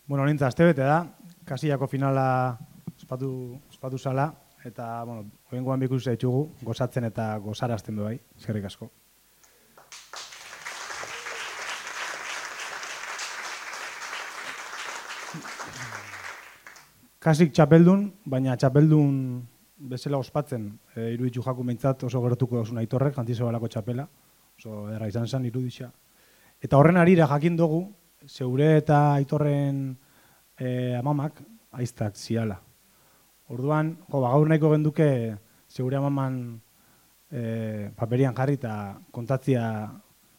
Bueno, nintza, astebete da, kasillako finala ospatu zala, eta, bueno, oingoan bikusi zaitugu, gozatzen eta gozarazten du bai, eskerrik asko. Kasik txapeldun, baina txapeldun bezala ospatzen, iruditzu jaku meintzat oso gertuko dozun Aitorrek, Jantizabalako txapela, oso erra izan zen iruditza. Eta horren arira jakin dugu, zeure eta Aitorren amamak aiztak ziala. Orduan, gaur nahiko genduke zeure amaman paperian jarri eta kontatzia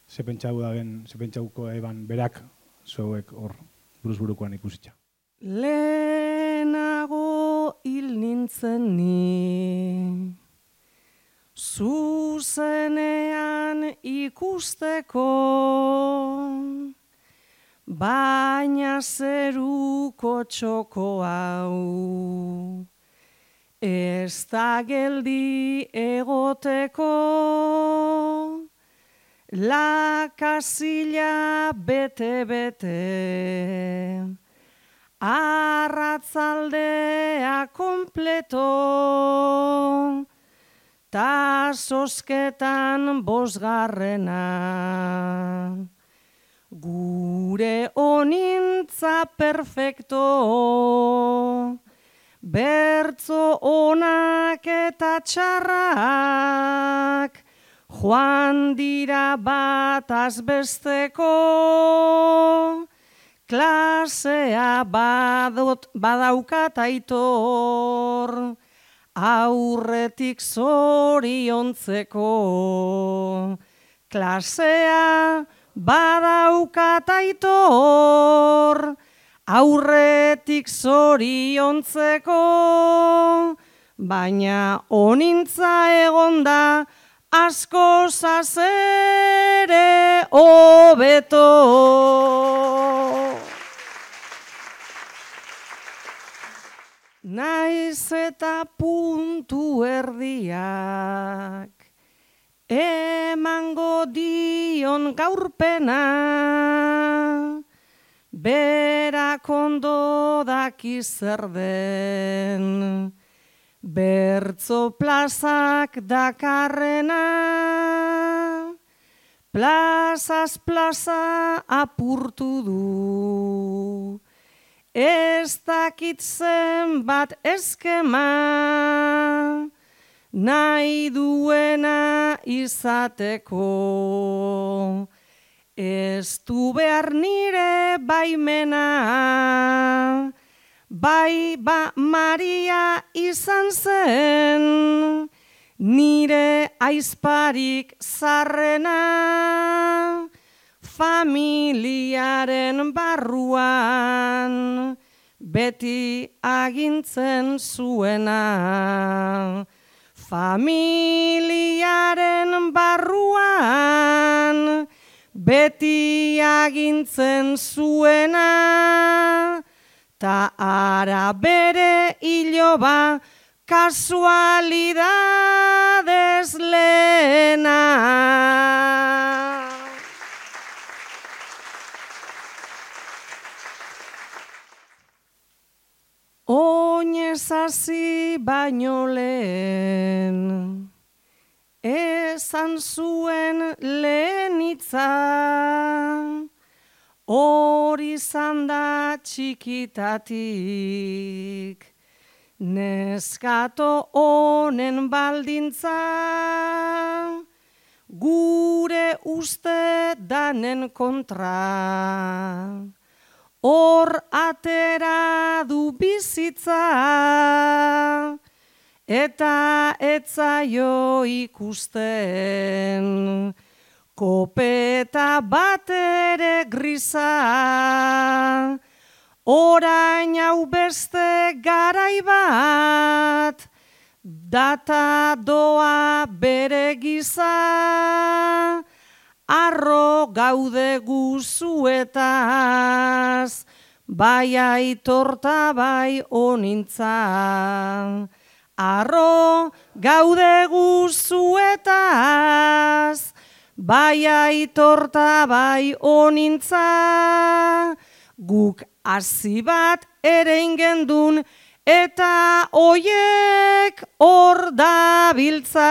ze pentsauko eban berak zeuek hor buruzburukoan ikusitza. Lehenago hil nintzen ni, zuzenean ikusteko, baina zeruko txoko hau, ez da geldi egoteko, la kasilla bete-bete, arratzaldea kompleto, ta zozketan bosgarrena. Gure onintza perfecto, bertzo onak eta txarrak, joan dira bataz besteko, klasea badaukat Aitor, aurretik zoriontzeko. Klasea badaukat Aitor, aurretik zoriontzeko, baina onintza egonda asko zazere hobeto. Naiz eta puntu erdiak emango dion gaurpena, berak ondo daki zer den, bertzo plazak dakarrena, plazaz plaza apurtu du, ez dakit zenbat eskema, nahi duena izateko, ez du behar nire baimena, bai ba Maria izan zen, nire aizparik zarrena, familiaren barruan, beti agintzen zuena. Familiaren barruan, beti agintzen zuena, ta ara bere iloba kasualidades lehena. Oinez hasi baino lehen, esan zuen lehen hitza, hori izan da txikitatik, neskato honen baldintza, gure uste danen kontra. Hor atera du bizitza, eta etzaio ikusten, kopeta bat ere grisa, orain hau beste garai bat, data doa bere giza, arro gaude guzuetaz, bai Aitorta bai onintza. Arro gaude guzuetaz, bai Aitorta bai onintza. Guk hasi bat ere ingendun, eta oiek hor dabiltza.